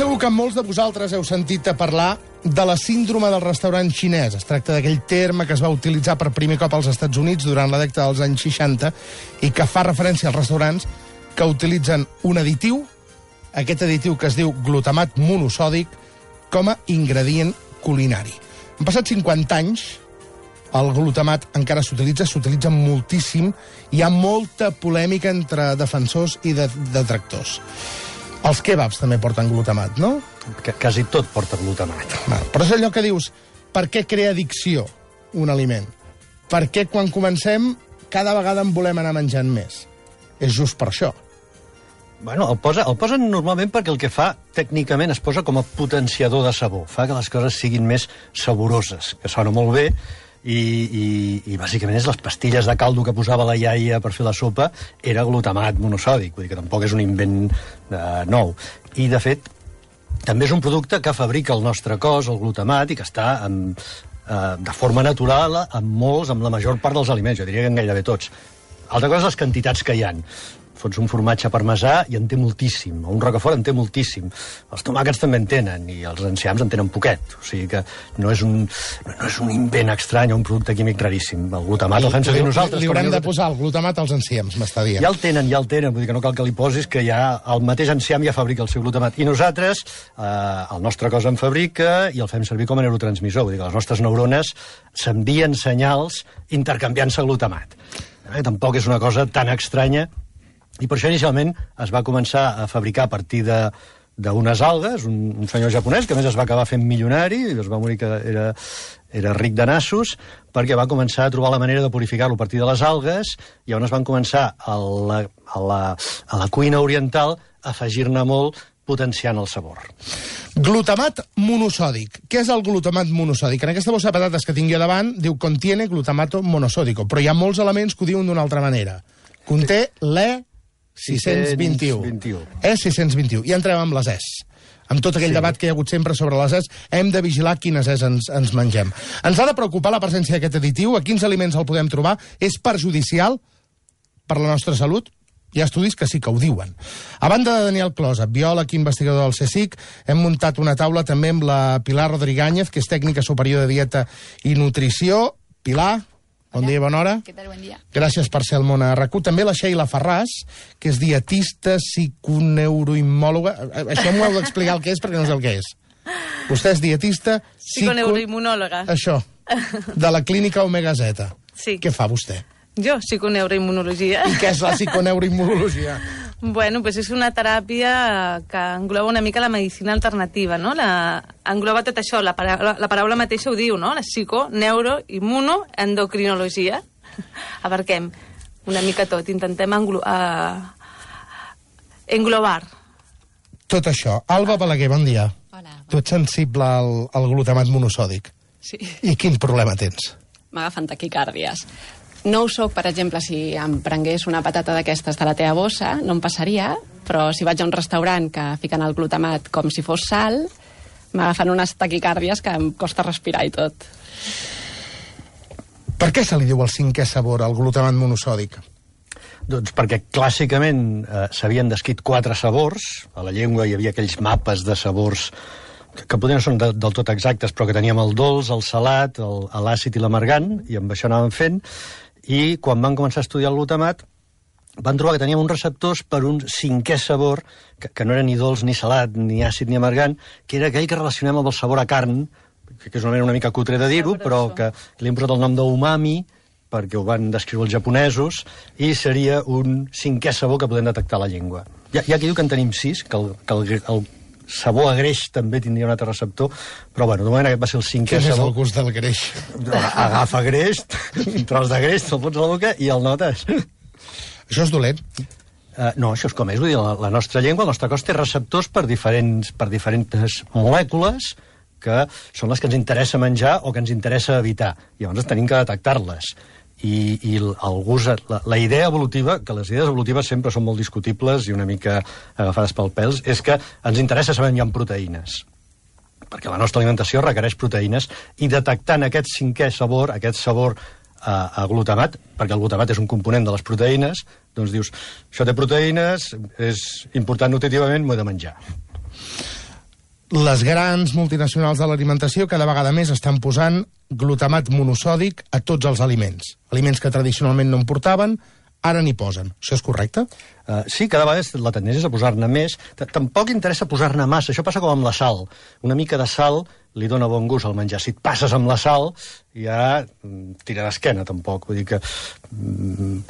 segur que molts de vosaltres heu sentit a parlar de la síndrome del restaurant xinès. Es tracta d'aquell terme que es va utilitzar per primer cop als Estats Units durant la dècada dels anys 60 i que fa referència als restaurants que utilitzen un additiu, aquest additiu que es diu glutamat monosòdic, com a ingredient culinari. Han passat 50 anys, el glutamat encara s'utilitza moltíssim, hi ha molta polèmica entre defensors i detractors. Els kebabs també porten glutamat, no? Quasi tot porta glutamat. Però és allò que dius, per què crea addicció un aliment? Per què quan comencem cada vegada en volem anar menjant més? És just per això. Bueno, el posen normalment perquè el que fa, tècnicament, es posa com a potenciador de sabor. Fa que les coses siguin més saboroses, que sona molt bé, i bàsicament és les pastilles de caldo que posava la iaia per fer la sopa era glutamat monosòdic, vull dir que tampoc és un invent nou. I, de fet, també és un producte que fabrica el nostre cos, el glutamat, i que està de forma natural amb la major part dels aliments, jo diria que en gairebé tots. Altra cosa, les quantitats que hi ha. Fots un formatge parmesà i en té moltíssim, o un rocafort en té moltíssim. Els tomàquets també en tenen, i els enciams en tenen poquet. O sigui que no és un invent estrany o un producte químic raríssim. El glutamat el fem servir nosaltres. Li haurem de posar el glutamat als enciams, m'està dient. Ja el tenen, vull dir que no cal que li posis, que ja el mateix enciam ja fabrica el seu glutamat. I nosaltres, el nostre cos en fabrica i el fem servir com a neurotransmissor. Vull dir que les nostres neurones s'envien senyals intercanviant-se glutamat. Tampoc és una cosa tan estranya. I per això inicialment es va començar a fabricar a partir d'unes algues, un senyor japonès que a més es va acabar fent milionari, i es va morir que era ric de nassos, perquè va començar a trobar la manera de purificar-lo a partir de les algues, i on es van començar a la cuina oriental a afegir-ne molt, potenciant el sabor. Glutamat monosòdic. Què és el glutamat monosòdic? En aquesta bossa de patates que tinc jo davant diu contiene glutamato monosódico, però hi ha molts elements que ho diuen d'una altra manera. Conté E621. E621. I entrem amb les Es. Amb tot aquell debat que hi ha hagut sempre sobre les Es, hem de vigilar quines Es ens mengem. Ens ha de preocupar la presència d'aquest additiu? A quins aliments el podem trobar? És perjudicial per la nostra salut? Hi ha estudis que sí que ho diuen. A banda de Daniel Closa, biòleg i investigador del CSIC, hem muntat una taula també amb la Pilar Rodríguez, que és tècnica superior de dieta i nutrició. Pilar, bon dia, bona hora. Què tal, bon dia. Gràcies per ser al món a RAC1. També la Sheila Ferràs, que és dietista, psiconeuroimòloga. Això m'ho heu d'explicar el que és, perquè no sé el que és. Vostè és dietista... Psiconeuroimmunòloga. Això, de la clínica Omega Z. Sí. Què fa vostè? Jo, psiconeuroimmunologia. I què és la psiconeuroimmunologia? Bueno, pues és una teràpia que engloba una mica la medicina alternativa, no? Engloba tot això, la paraula mateixa ho diu, no? La psico, neuro, immuno, endocrinologia. Abarquem una mica tot, intentem englobar. Tot això. Alba Balaguer, bon dia. Hola. Tu ets sensible al glutamat monosòdic. Sí. I quin problema tens? M'agafen taquicàrdies. No ho soc, per exemple, si em prengués una patata d'aquestes de la teva bossa, no em passaria, però si vaig a un restaurant que fiquen el glutamat com si fos sal, m'agafen unes taquicàrdies que em costa respirar i tot. Per què se li diu el cinquè sabor, el glutamat monosòdic? Doncs perquè clàssicament s'havien descrit 4 sabors. A la llengua hi havia aquells mapes de sabors que potser no són del tot exactes, però que teníem el dolç, el salat, l'àcid i l'amargant, i amb això anàvem fent. I quan van començar a estudiar el glutamat van trobar que teníem uns receptors per un 5è sabor, que no era ni dolç, ni salat, ni àcid, ni amargant, que era aquell que relacionem amb el sabor a carn, que és una manera una mica cutre de dir-ho, però que li hem posat el nom d'umami, perquè ho van descriure els japonesos, i seria un 5è sabor que podem detectar a la llengua. Hi ha qui diu que en tenim 6, que el sabor a greix també tindria un altre receptor, però bueno, de moment aquest va ser el 5è sabor. Quin és el gust del greix? Agafa greix, un tros de greix, te'l fots a la boca i el notes. Això és dolent? No, això és com és. Vull dir, la nostra llengua, el nostre cos té receptors per diferents molècules que són les que ens interessa menjar o que ens interessa evitar. Llavors tenim que detectar-les. I el gust, la idea evolutiva, que les idees evolutives sempre són molt discutibles i una mica agafades pel pèls, és que ens interessa saber on hi ha proteïnes, perquè la nostra alimentació requereix proteïnes, i detectant aquest 5è sabor, aquest sabor a glutamat, perquè el glutamat és un component de les proteïnes, doncs dius, això té proteïnes, és important nutritivament, m'ho he de menjar. Les grans multinacionals de l'alimentació cada vegada més estan posant glutamat monosòdic a tots els aliments. Aliments que tradicionalment no en portaven, ara n'hi posen. Això és correcte? Sí, cada vegada la tendència és a posar-ne més. Tampoc interessa posar-ne massa. Això passa com amb la sal. Una mica de sal li dona bon gust al menjar. Si et passes amb la sal, ja tira d'esquena, tampoc. Vull dir que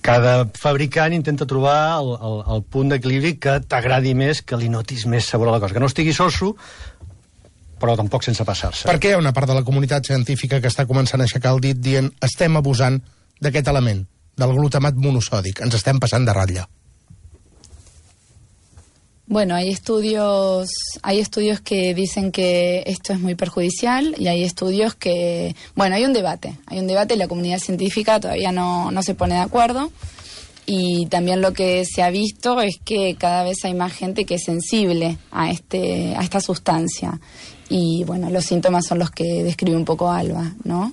cada fabricant intenta trobar el punt d'equilibri que t'agradi més, que li notis més sabor a la cosa. Que no estigui soso, però tampoc sense passar-se. Per què hi ha una part de la comunitat científica que està començant a aixecar el dit dient estem abusant d'aquest element, del glutamat monosòdic, ens estem passant de ratlla? Bueno, hay estudios que dicen que esto es muy perjudicial y hay estudios que... Bueno, hay un debate y la comunidad científica todavía no se pone de acuerdo, y también lo que se ha visto es que cada vez hay más gente que es sensible a esta sustancia, y bueno, los síntomas son los que describe un poco Alba, ¿no?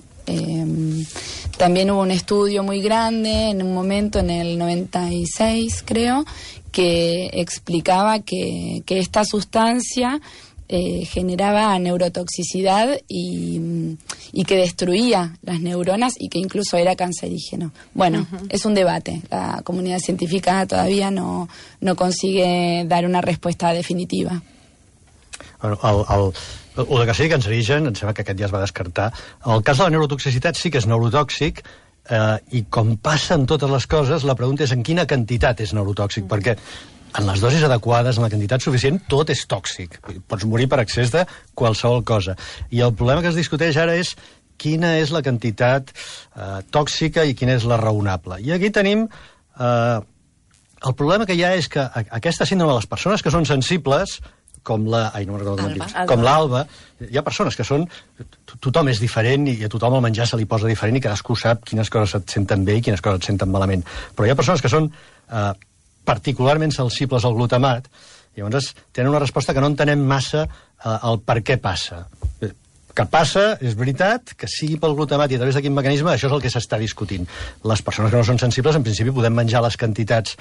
También hubo un estudio muy grande en un momento, en el 96 creo, que explicaba que esta sustancia generaba neurotoxicidad y que destruía las neuronas y que incluso era cancerígeno. Bueno, es un debate. La comunidad científica todavía no consigue dar una respuesta definitiva. Bueno, el que sigui cancerigen, em sembla que aquest ja es va descartar. El cas de la neurotoxicitat sí que és neurotòxic, i com passa en totes les coses, la pregunta és en quina quantitat és neurotòxic, perquè en les dosis adequades, en la quantitat suficient, tot és tòxic. Pots morir per excés de qualsevol cosa. I el problema que es discuteix ara és quina és la quantitat tòxica i quina és la raonable. I aquí tenim... el problema que hi ha és que aquesta síndrome de les persones que són sensibles, com l'Alba, hi ha persones que són... Tothom és diferent i a tothom el menjar se li posa diferent i cadascú sap quines coses et senten bé i quines coses et senten malament. Però hi ha persones que són particularment sensibles al glutamat, i llavors tenen una resposta que no entenem massa el per què passa. Que passa, és veritat, que sigui pel glutamat i a través de quin mecanisme, això és el que s'està discutint. Les persones que no són sensibles, en principi, podem menjar les quantitats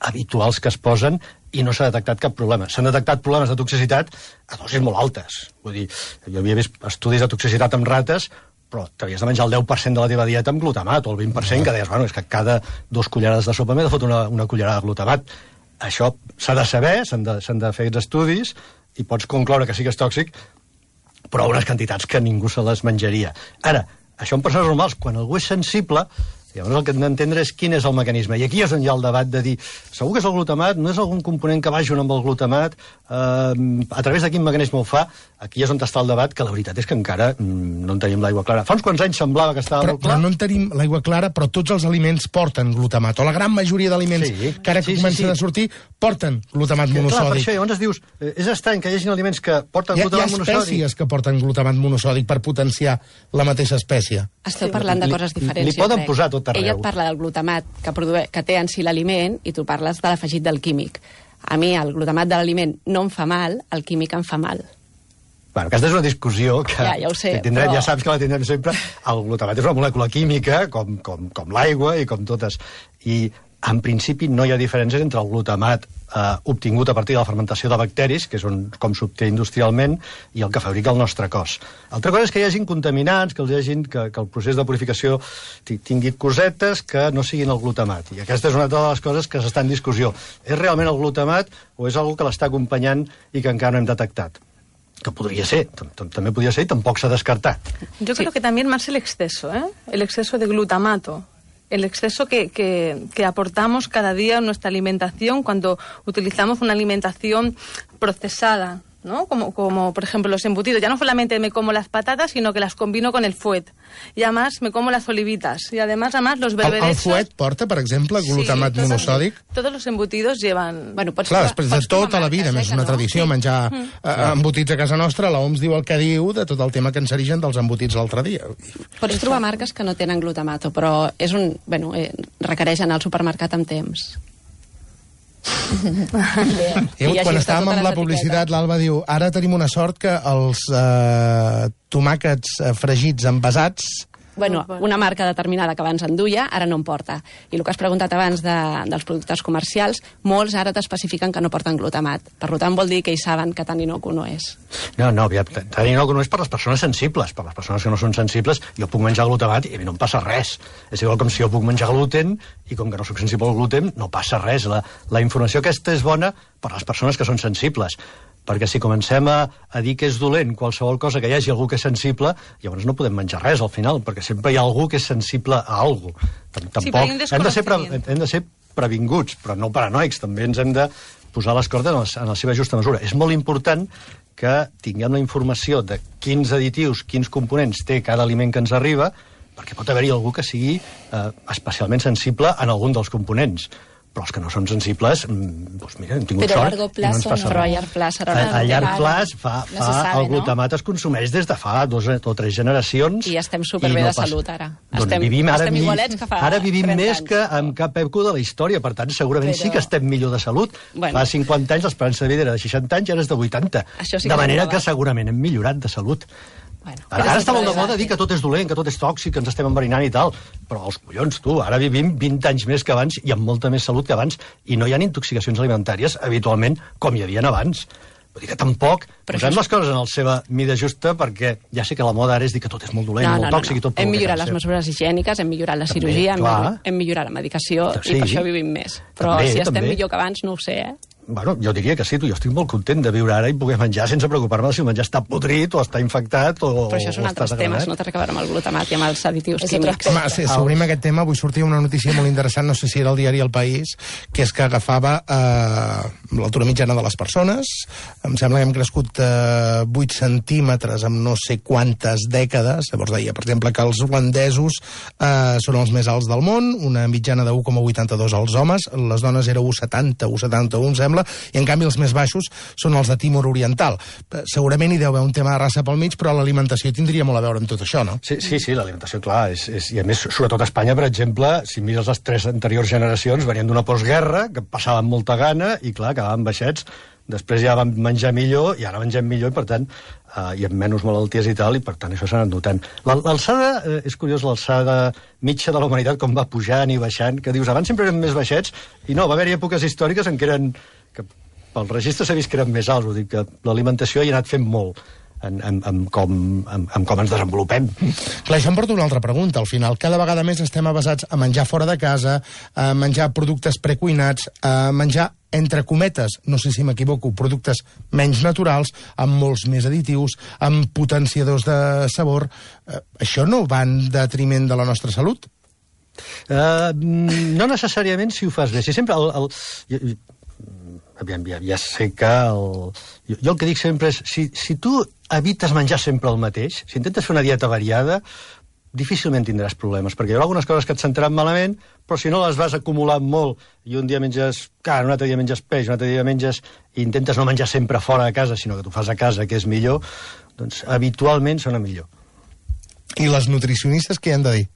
habituals que es posen i no s'ha detectat cap problema. S'han detectat problemes de toxicitat a dosis molt altes. Vull dir, jo havia vist estudis de toxicitat amb rates, però t'havies de menjar el 10% de la teva dieta amb glutamat, o el 20%, que deies, bueno, és que cada 2 cullerades de sopa m'he de fotre una cullerada de glutamat. Això s'ha de saber, s'han de fer aquests estudis, i pots concloure que sí que és tòxic, però a unes quantitats que ningú se les menjaria. Ara, això en persones normals, quan algú és sensible, llavors el que hem d'entendre és quin és el mecanisme. I aquí és on hi ha el debat de dir, segur que és el glutamat, no és algun component que vagi amb el glutamat, a través de quin mecanisme ho fa. Aquí és on està el debat, que la veritat és que encara no en tenim l'aigua clara. Fa uns quants anys semblava que estava molt clar. Però no en tenim l'aigua clara, però tots els aliments porten glutamat, o la gran majoria d'aliments que ara comencen a sortir porten glutamat monosòdic. Clar, per això llavors dius, és estrany que hi hagi aliments que porten glutamat monosòdic. Hi ha espècies que porten glutamat monosòdic per potenciar la mateixa espècie. Esteu parlant de coses diferents. Li poden posar tot arreu. Ella et parla del glutamat que té en si l'aliment i tu parles de l'afegit del químic. A mi el glutamat de l'aliment no em fa mal, el químic em fa mal. Bueno, aquesta és una discussió que ja ho sé, tindrem, però... ja saps que la tindrem sempre. El glutamat és una molècula química, com l'aigua i com totes. I en principi no hi ha diferències entre el glutamat obtingut a partir de la fermentació de bacteris, que és com s'obté industrialment, i el que fabrica el nostre cos. Altra cosa és que hi hagin contaminants, que el procés de purificació tingui cosetes que no siguin el glutamat. I aquesta és una de les coses que s'està en discussió. És realment el glutamat o és algú que l'està acompanyant i que encara no hem detectat? Que podria ser, també podria ser i tampoc s'ha descartat. Yo creo que también más el exceso, el exceso de glutamato. El exceso que aportamos cada día en nuestra alimentación cuando utilizamos una alimentación procesada, ¿no? Como por ejemplo los embutidos. Ya no solamente me como las patatas, sino que las combino con el fuet. Y además me como las olivitas. Y además los berberechos... El fuet porta, per exemple, glutamat monosòdic? Todos los embutidos llevan... Bueno, clar, després de tota la vida, és una tradició menjar embotits a casa nostra, l'OMS diu el que diu de tot el tema cancerigen dels embotits l'altre dia. Pots trobar marques que no tenen glutamato, però requereix anar al supermercat amb temps. Quan estàvem amb la publicitat, l'Alba diu, ara tenim una sort que els tomàquets fregits envasats bueno, una marca determinada que abans en duia, ara no en porta. I el que has preguntat abans dels productes comercials, molts ara t'especifiquen que no porten glutamat. Per tant, vol dir que hi saben que tant inocu no és. No, tant inocu no és per les persones sensibles. Per les persones que no són sensibles, jo puc menjar glutamat i a mi no em passa res. És igual com si jo puc menjar gluten i com que no soc sensible al gluten, no passa res. La informació aquesta és bona per a les persones que són sensibles. Perquè si comencem a dir que és dolent qualsevol cosa que hi hagi algú que és sensible, llavors no podem menjar res al final, perquè sempre hi ha algú que és sensible a algú. Tampoc hem de ser previnguts, però no paranoics, també ens hem de posar les cordes en la seva justa mesura. És molt important que tinguem la informació de quins additius, quins components té cada aliment que ens arriba, perquè pot haver-hi algú que sigui especialment sensible en algun dels components. Però els que no són sensibles, doncs mira, hem tingut sort. Però a llarg plaç, però a llarg plaç a llarg plaç el glutamat es consumeix des de fa 2 o 3 generacions. I estem superbé de salut, ara. Estem igualets que fa 30 anys. Ara vivim més que en cap època de la història, per tant, segurament sí que estem millor de salut. Fa 50 anys l'esperança de vida era de 60 anys, ara és de 80. De manera que segurament hem millorat de salut. Ara està molt de moda dir que tot és dolent, que tot és tòxic, que ens estem enverinant i tal, però els collons, tu, ara vivim 20 anys més que abans i amb molta més salut que abans, i no hi ha intoxicacions alimentàries habitualment com hi havia abans. Vull dir que tampoc posem les coses en la seva mida justa, perquè ja sé que la moda ara és dir que tot és molt dolent, molt tòxic i tot. Hem millorat les mesures higièniques, hem millorat la cirurgia, hem millorat la medicació i per això vivim més. Però si estem millor que abans no ho sé, Bueno, jo diria que sí, jo estic molt content de viure ara i poder menjar sense preocupar-me si el menjar està podrit o està infectat o... Però això són altres temes, no té res a veure amb el glutamat i amb els additius químics. Home, si obrim aquest tema, avui sortia una notícia molt interessant, no sé si era el diari El País, que és que agafava l'altura mitjana de les persones, em sembla que hem crescut 8 centímetres en no sé quantes dècades, llavors deia, per exemple, que els holandesos són els més alts del món, una mitjana de 1,82 als homes, les dones era 1,70, 1,71, em sembla, i en canvi els més baixos són els de Timor Oriental. Segurament hi deu haver un tema de raça pel mig, però l'alimentació tindria molt a veure amb tot això, no? Sí, l'alimentació, clar, i a més, sobretot a Espanya, per exemple, si mires les 3 anteriors generacions, venien d'una postguerra, que passaven molta gana, i clar, quedaven baixets, després ja vam menjar millor, i ara mengem millor, i per tant, hi ha menys malalties i tal, i per tant això s'ha anat notant. L'alçada, és curiós, l'alçada mitja de la humanitat, com va pujant i baixant, que dius, abans sempre eren més baixets, i no, va haver-hi èpoques històriques en què eren, que pel registre s'ha vist que eren més alts, vull dir que l'alimentació hi ha anat fent molt en com ens desenvolupem. Clar, això em porta una altra pregunta. Al final, cada vegada més estem avasats a menjar fora de casa, a menjar productes precuinats, a menjar, entre cometes, no sé si m'equivoco, productes menys naturals, amb molts més additius, amb potenciadors de sabor. Això no va en detriment de la nostra salut? No necessàriament si ho fas bé. Si sempre ja sé que jo el que dic sempre és si tu evites menjar sempre el mateix, si intentes fer una dieta variada, difícilment tindràs problemes, perquè hi haurà algunes coses que et sentaran malament, però si no les vas acumulant molt i un dia menges carn, un altre dia menges peix, un altre dia menges i intentes no menjar sempre fora de casa, sinó que t'ho fas a casa, que és millor, doncs habitualment sona millor. I les nutricionistes què han de dir?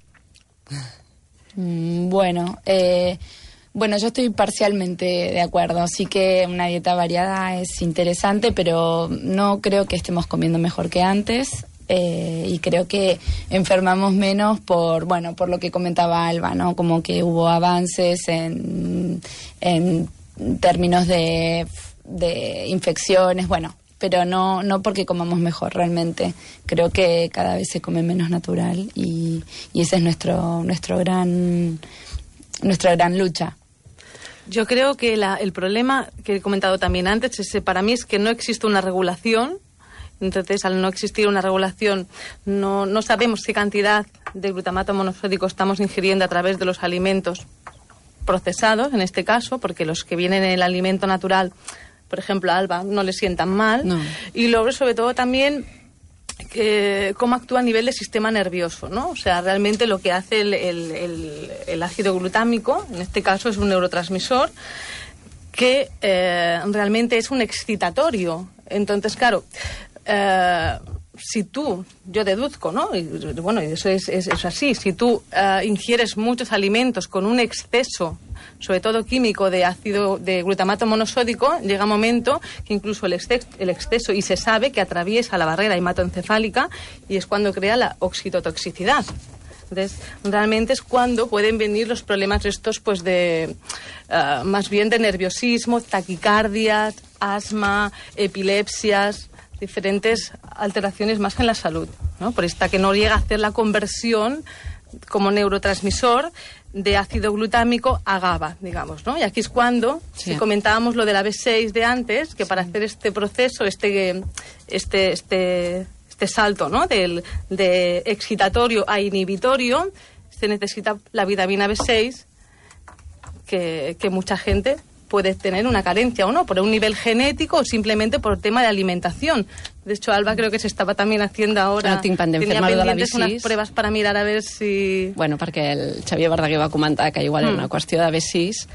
Bueno, yo estoy parcialmente de acuerdo. Sí que una dieta variada es interesante, pero no creo que estemos comiendo mejor que antes. Y creo que enfermamos menos por lo que comentaba Alba, ¿no? Como que hubo avances en términos de infecciones, pero no porque comamos mejor realmente. Creo que cada vez se come menos natural y ese es nuestra gran lucha. Yo creo que el problema que he comentado también antes para mí es que no existe una regulación. Entonces, al no existir una regulación, no sabemos qué cantidad de glutamato monosódico estamos ingiriendo a través de los alimentos procesados, en este caso, porque los que vienen en el alimento natural, por ejemplo, a Alba, no le sientan mal. No. Y luego, sobre todo, también cómo actúa a nivel del sistema nervioso, ¿no? O sea, realmente lo que hace el ácido glutámico, en este caso, es un neurotransmisor que realmente es un excitatorio. Entonces, claro, si yo deduzco, ¿no? Y eso es así, si tú ingieres muchos alimentos con un exceso, sobre todo químico, de glutamato monosódico, llega un momento que incluso el exceso, y se sabe que atraviesa la barrera hematoencefálica y es cuando crea la oxitotoxicidad. Entonces, realmente es cuando pueden venir los problemas estos, pues más bien de nerviosismo, taquicardias, asma, epilepsias, diferentes alteraciones más en la salud, ¿no? Por esta que no llega a hacer la conversión como neurotransmisor de ácido glutámico a GABA, digamos, ¿no? Y aquí es cuando, si comentábamos lo de la B6 de antes, que para hacer este proceso, este salto, ¿no? De excitatorio a inhibitorio, se necesita la vitamina B6, que mucha gente puede tener una carencia o no, por un nivel genético o simplemente por tema de alimentación. De hecho, Alba creo que se estava també haciendo ahora... No tinc pendent fer-me de la B6. Unas pruebas para mirar a ver si... Bueno, perquè el Xavier Verdaguer va comentar que igual era una qüestió de B6,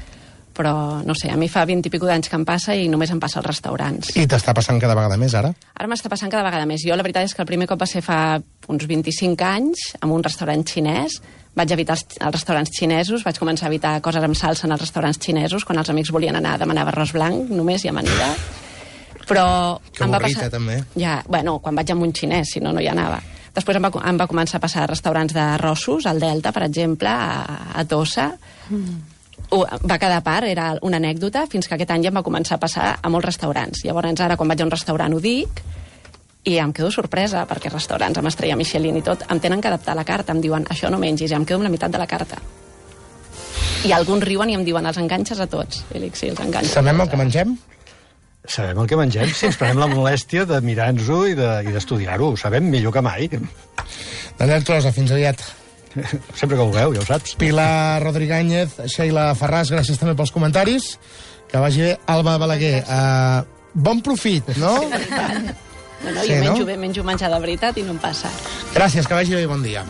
però no sé, a mi fa 20 i pico d'anys que em passa i només em passa als restaurants. I t'està passant cada vegada més, ara? Ara m'està passant cada vegada més. Jo la veritat és que el primer cop va ser fa uns 25 anys, en un restaurant xinès. Vaig evitar els restaurants xinesos, vaig començar a evitar coses amb salsa en els restaurants xinesos, quan els amics volien anar demanava arròs blanc, només i amanida. Però que avorrita, també. Ja, bueno, quan vaig amb un xinès, si no, no hi anava. Després em va començar a passar a restaurants d'arrossos, al Delta, per exemple, a Tossa. Va quedar a part, era una anècdota, fins que aquest any ja em va començar a passar a molts restaurants. Llavors, ara, quan vaig a un restaurant ho dic, i em quedo sorpresa, perquè restaurants amb estrella Michelin i tot em tenen que adaptar la carta, em diuen això no mengis, i em quedo amb la meitat de la carta. I alguns riuen i em diuen els enganxes a tots. I dic, sí, els enganxes. Sabem el que mengem? Sabem el que mengem, si ens prenem la molèstia de mirar-nos-ho i d'estudiar-ho. Ho sabem millor que mai. Daniel Closa, fins aviat. Sempre que vulgueu, ja ho saps. Pilar Rodríguez, Sheila Farràs, gràcies també pels comentaris. Que vagi bé. Alba Balaguer, bon profit, no? Bueno, jo menjo menjar de veritat i no em passa. Gràcies, que vagi bé i bon dia.